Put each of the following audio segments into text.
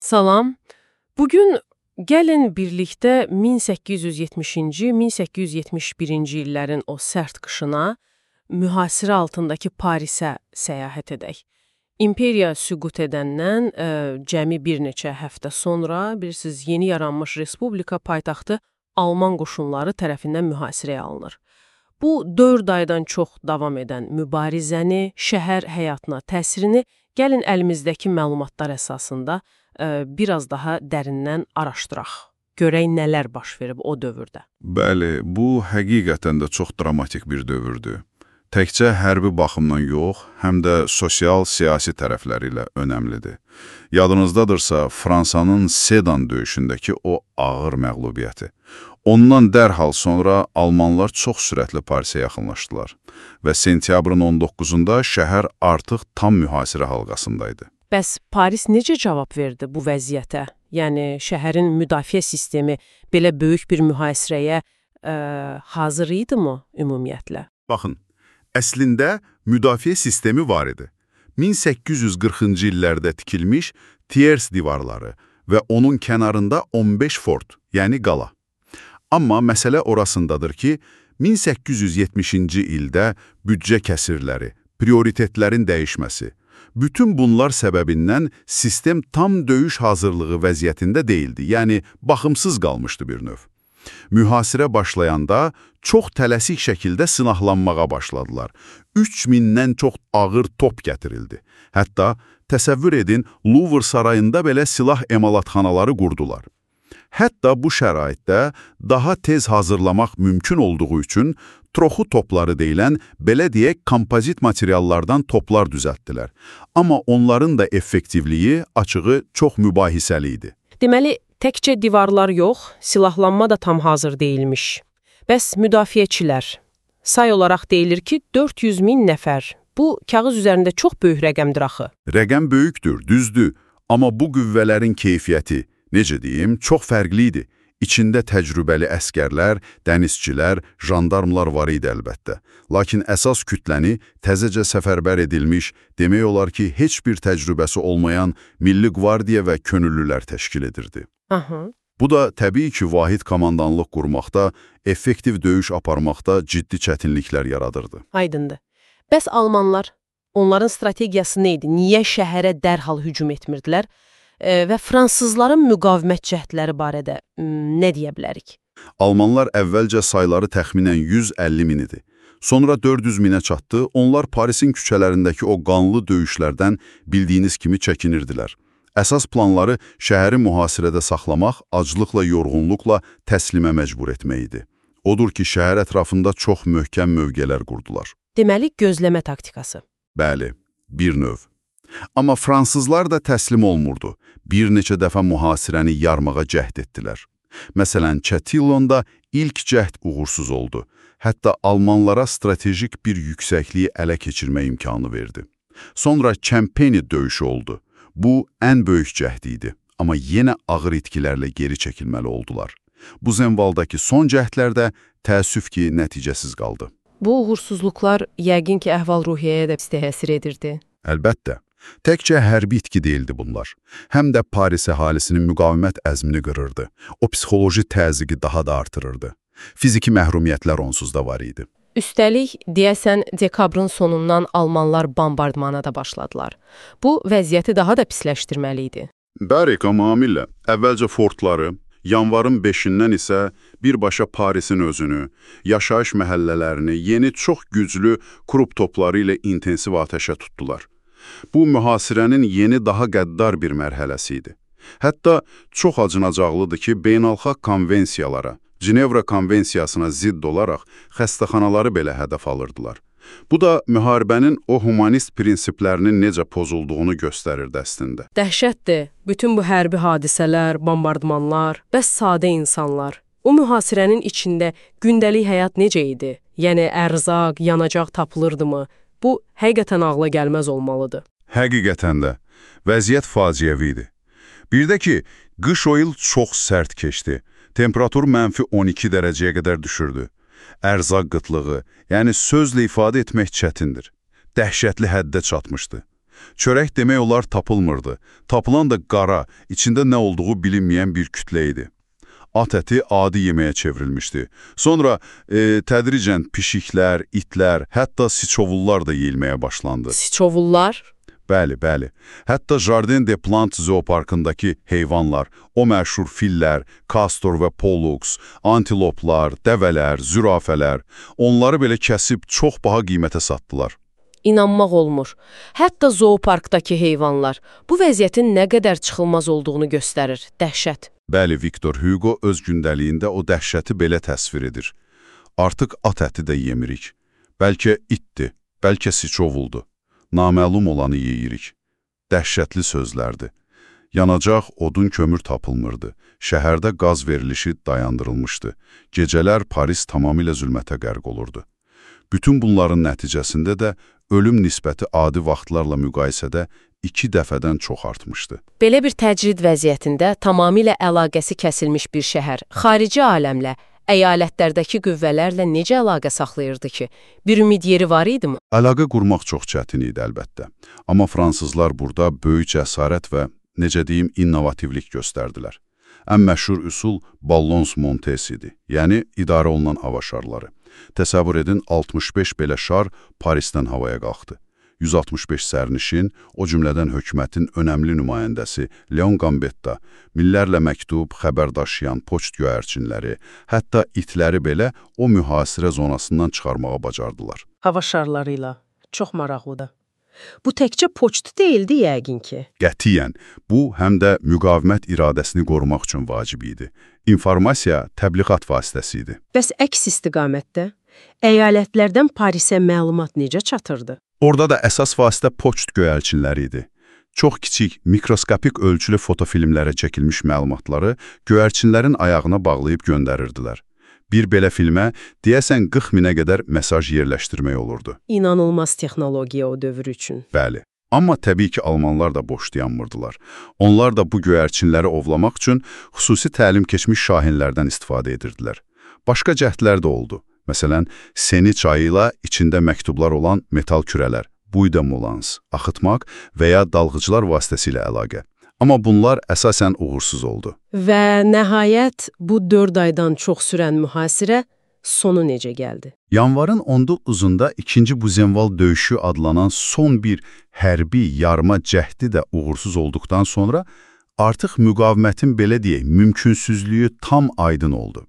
Salam. Bugün gəlin birlikdə 1870-ci, 1871-ci illərin o sərt qışına, mühasirə altındakı Parisə səyahət edək. İmperiya süqut edəndən cəmi bir neçə həftə sonra, bilirsiniz, yeni yaranmış respublika paytaxtı Alman qoşunları tərəfindən mühasirəyə alınır. Bu 4 aydan çox davam edən mübarizəni, şəhər həyatına təsirini gəlin əlimizdəki məlumatlar əsasında biraz daha dərindən araşdıraq. Görək nələr baş verib o dövrdə. Bəli, bu həqiqətən də çox dramatik bir dövrdür. Təkcə hərbi baxımdan yox, həm də sosial-siyasi tərəfləri ilə önəmlidir. Yadınızdadırsa, Fransanın Sedan döyüşündəki o ağır məğlubiyyəti. Ondan dərhal sonra Almanlar çox sürətli Parisə yaxınlaşdılar və sentyabrın 19-da şəhər artıq tam mühasirə halqasındaydı. Bəs Paris necə cavab verdi bu vəziyyətə? Yəni, şəhərin müdafiə sistemi belə böyük bir mühasirəyə hazır idi mi ümumiyyətlə? Baxın, əslində müdafiə sistemi var idi. 1840-cı illərdə tikilmiş Thiers divarları və onun kənarında 15 fort, yəni qala. Amma məsələ orasındadır ki, 1870-ci ildə büdcə kəsirləri, prioritetlərin dəyişməsi, bütün bunlar səbəbindən sistem tam döyüş hazırlığı vəziyyətində deyildi, yəni baxımsız qalmışdı bir növ. Mühasirə başlayanda çox tələsik şəkildə sınaqlanmağa başladılar. 3000-dən çox ağır top gətirildi. Hətta təsəvvür edin, Louvre sarayında belə silah emalatxanaları qurdular. Hətta bu şəraitdə daha tez hazırlamaq mümkün olduğu üçün troxu topları deyilən, belə deyək, kompozit materiallardan toplar düzəltdilər. Amma onların da effektivliyi, açığı çox mübahisəli idi. Deməli, təkcə divarlar yox, silahlanma da tam hazır deyilmiş. Bəs müdafiəçilər? Say olaraq deyilir ki, 400 min nəfər. Bu, kağız üzərində çox böyük rəqəmdir axı. Rəqəm böyükdür, düzdür. Amma bu qüvvələrin keyfiyyəti, necə deyim, çox fərqli idi. İçində təcrübəli əskərlər, dənizçilər, jandarmlar var idi əlbəttə. Lakin əsas kütləni təzəcə səfərbər edilmiş, demək olar ki, heç bir təcrübəsi olmayan Milli Qvardiya və könüllülər təşkil edirdi. Bu da təbii ki, vahid komandanlıq qurmaqda, effektiv döyüş aparmaqda ciddi çətinliklər yaradırdı. Aydındır. Bəs Almanlar, onların strategiyası nə idi? Niyə şəhərə dərhal hücum etmirdilər? Və fransızların müqavimət cəhdləri barədə nə deyə bilərik? Almanlar əvvəlcə sayları təxminən 150 min idi. Sonra 400 minə çatdı, onlar Parisin küçələrindəki o qanlı döyüşlərdən bildiyiniz kimi çəkinirdilər. Əsas planları şəhəri mühasirədə saxlamaq, aclıqla, yorğunluqla təslimə məcbur etmək idi. Odur ki, şəhər ətrafında çox möhkəm mövqelər qurdular. Deməli, gözləmə taktikası. Bəli, bir növ. Amma fransızlar da təslim olmurdu. Bir neçə dəfə mühasirəni yarmağa cəhd etdilər. Məsələn, Çətillonda ilk cəhd uğursuz oldu. Hətta almanlara stratejik bir yüksəkliyi ələ keçirmə imkanı verdi. Sonra Çempeni döyüşü oldu. Bu, ən böyük cəhd idi. Amma yenə ağır itkilərlə geri çəkilməli oldular. Bu zənvaldakı son cəhdlərdə təəssüf ki, nəticəsiz qaldı. Bu uğursuzluqlar yəqin ki, əhval-ruhiyyəyə də təsir edirdi. Əlbəttə. Təkcə hərbi itki deyildi bunlar. Həm də Paris əhalisinin müqavimət əzmini qırırdı. O psixoloji təzyiqi daha da artırırdı. Fiziki məhrumiyyətlər onsuz da var idi. Üstəlik, deyəsən, dekabrın sonundan Almanlar bombardmana da başladılar. Bu, vəziyyəti daha da pisləşdirməli idi. Bəli, tamamilə. Əvvəlcə fortları, yanvarın 5-dən isə birbaşa Parisin özünü, yaşayış məhəllələrini yeni çox güclü krup topları ilə intensiv atəşə tutdular. Bu, mühasirənin yeni daha qəddar bir mərhələsi idi. Hətta çox acınacaqlıdır ki, beynəlxalq konvensiyalara, Cenevra konvensiyasına zidd olaraq xəstəxanaları belə hədəf alırdılar. Bu da müharibənin o humanist prinsiplərinin necə pozulduğunu göstərirdi əslində. Dəhşətdir. Bütün bu hərbi hadisələr, bombardmanlar, bəs sadə insanlar. O mühasirənin içində gündəlik həyat necə idi? Yəni, ərzaq, yanacaq tapılırdımı? Bu, həqiqətən ağla gəlməz olmalıdır. Həqiqətən də. Vəziyyət faciəvi idi. Bir də ki, qış o il çox sərt keçdi. Temperatur -12 dərəcəyə qədər düşürdü. Ərzaq qıtlığı, yəni sözlə ifadə etmək çətindir. Dəhşətli həddə çatmışdı. Çörək demək olar tapılmırdı. Tapılan da qara, içində nə olduğu bilinməyən bir kütlə idi. At əti adi yeməyə çevrilmişdi. Sonra tədricən pişiklər, itlər, hətta siçovullar da yeyilməyə başlandı. Siçovullar? Bəli, bəli. Hətta Jardin des Plantes zooparkındakı heyvanlar, o məşhur fillər, kastor və pollux, antiloplar, dəvələr, zürafələr, onları belə kəsib çox baha qiymətə satdılar. İnanmaq olmur. Hətta zooparkdakı heyvanlar bu vəziyyətin nə qədər çıxılmaz olduğunu göstərir. Dəhşət. Bəli, Victor Hugo öz gündəliyində o dəhşəti belə təsvir edir. Artıq at əti də yemirik. Bəlkə itdir, bəlkə siçovuldu. Naməlum olanı yeyirik. Dəhşətli sözlərdi. Yanacaq, odun, kömür tapılmırdı. Şəhərdə qaz verilişi dayandırılmışdı. Gecələr Paris tamamilə zülmətə qərq olurdu. Bütün bunların nəticəsində də ölüm nisbəti adi vaxtlarla müqayisədə 2 dəfədən çox artmışdı. Belə bir təcrid vəziyyətində tamamilə əlaqəsi kəsilmiş bir şəhər, xarici aləmlə, əyalətlərdəki qüvvələrlə necə əlaqə saxlayırdı ki? Bir ümid yeri var idimi? Əlaqə qurmaq çox çətin idi əlbəttə. Amma fransızlar burada böyük cəsarət və, necə deyim, innovativlik göstərdilər. Ən məşhur üsul ballons montes idi, yəni idarə olunan hava şarları. Təsəvvür edin, 65 belə şar Parisdən havaya qalxdı. 165 sərnişin, o cümlədən hökumətin önəmli nümayəndəsi Leon Gambetta, millərlə məktub, xəbər daşıyan poçt göyərçinləri, hətta itləri belə o mühasirə zonasından çıxarmağa bacardılar. Hava şarları ilə. Çox maraqlıdır. Bu təkcə poçt deyildi yəqin ki. Qətiyyən, bu həm də müqavimət iradəsini qorumaq üçün vacib idi. İnformasiya təbliğat vasitəsi idi. Bəs əks istiqamətdə əyalətlərdən Parisə məlumat necə çatırdı? Orada da əsas vasitə poçt göyərçinləri idi. Çox kiçik, mikroskopik ölçülü fotofilmlərə çəkilmiş məlumatları göyərçinlərin ayağına bağlayıb göndərirdilər. Bir belə filmə deyəsən 40 minə qədər mesaj yerləşdirmək olurdu. İnanılmaz texnologiya o dövr üçün. Bəli. Amma təbii ki, almanlar da boş dayanmırdılar. Onlar da bu göyərçinləri ovlamaq üçün xüsusi təlim keçmiş şahinlərdən istifadə edirdilər. Başqa cəhdlər də oldu. Məsələn, Seni çayı ilə içində məktublar olan metal kürələr, buyda molans, axıtmaq və ya dalğıcılar vasitəsilə əlaqə. Amma bunlar əsasən uğursuz oldu. Və nəhayət bu 4 aydan çox sürən mühasirə sonu necə gəldi? Yanvarın 19-da 2-ci Buzenval döyüşü adlanan son bir hərbi yarma cəhdi də uğursuz olduqdan sonra artıq müqavimətin belə deyək, mümkünsüzlüyü tam aydın oldu.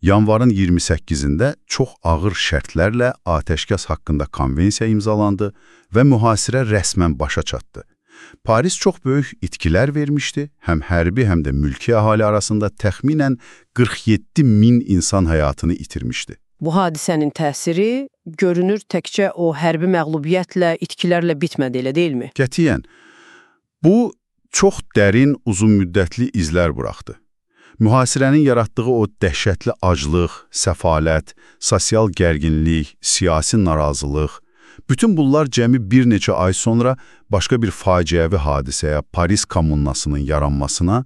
Yanvarın 28-də çox ağır şərtlərlə atəşkəs haqqında konvensiya imzalandı və mühasirə rəsmən başa çatdı. Paris çox böyük itkilər vermişdi, həm hərbi, həm də mülki əhali arasında təxminən 47 min insan həyatını itirmişdi. Bu hadisənin təsiri görünür təkcə o hərbi məğlubiyyətlə, itkilərlə bitmədi, elə deyilmi? Qətiyyən, bu çox dərin, uzun müddətli izlər buraxdı. Mühasirənin yaratdığı o dəhşətli aclıq, səfalət, sosial gərginlik, siyasi narazılıq, bütün bunlar cəmi bir neçə ay sonra başqa bir faciəvi hadisəyə, Paris kommunasının yaranmasına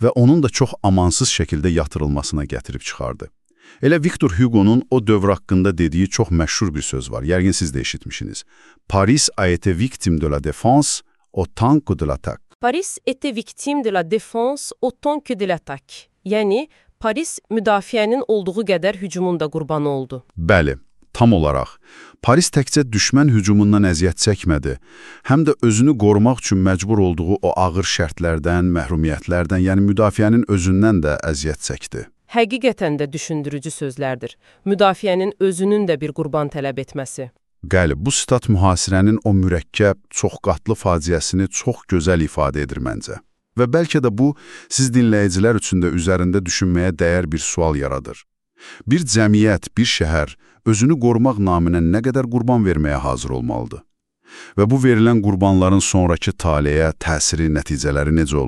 və onun da çox amansız şəkildə yatırılmasına gətirib çıxardı. Elə Victor Hugo'nun o dövr haqqında dediyi çox məşhur bir söz var, yəqin siz də eşitmişsiniz. Paris a été victime de la défense autant que de l'attaque. Paris était victime de la défense autant que de l'attaque. Yəni, Paris müdafiənin olduğu qədər hücumun da qurbanı oldu. Bəli, tam olaraq. Paris təkcə düşmən hücumundan əziyyət çəkmədi, həm də özünü qorumaq üçün məcbur olduğu o ağır şərtlərdən, məhrumiyyətlərdən, yəni müdafiənin özündən də əziyyət çəkdi. Həqiqətən də düşündürücü sözlərdir. Müdafiənin özünün də bir qurban tələb etməsi. Bəli, bu sitat mühasirənin o mürəkkəb, çox qatlı faciəsini çox gözəl ifadə edir məncə. Və bəlkə də bu, siz dinləyicilər üçün də üzərində düşünməyə dəyər bir sual yaradır. Bir cəmiyyət, bir şəhər özünü qorumaq naminə nə qədər qurban verməyə hazır olmalıdır? Və bu verilən qurbanların sonraki taleyə, təsiri, nəticələri necə olur?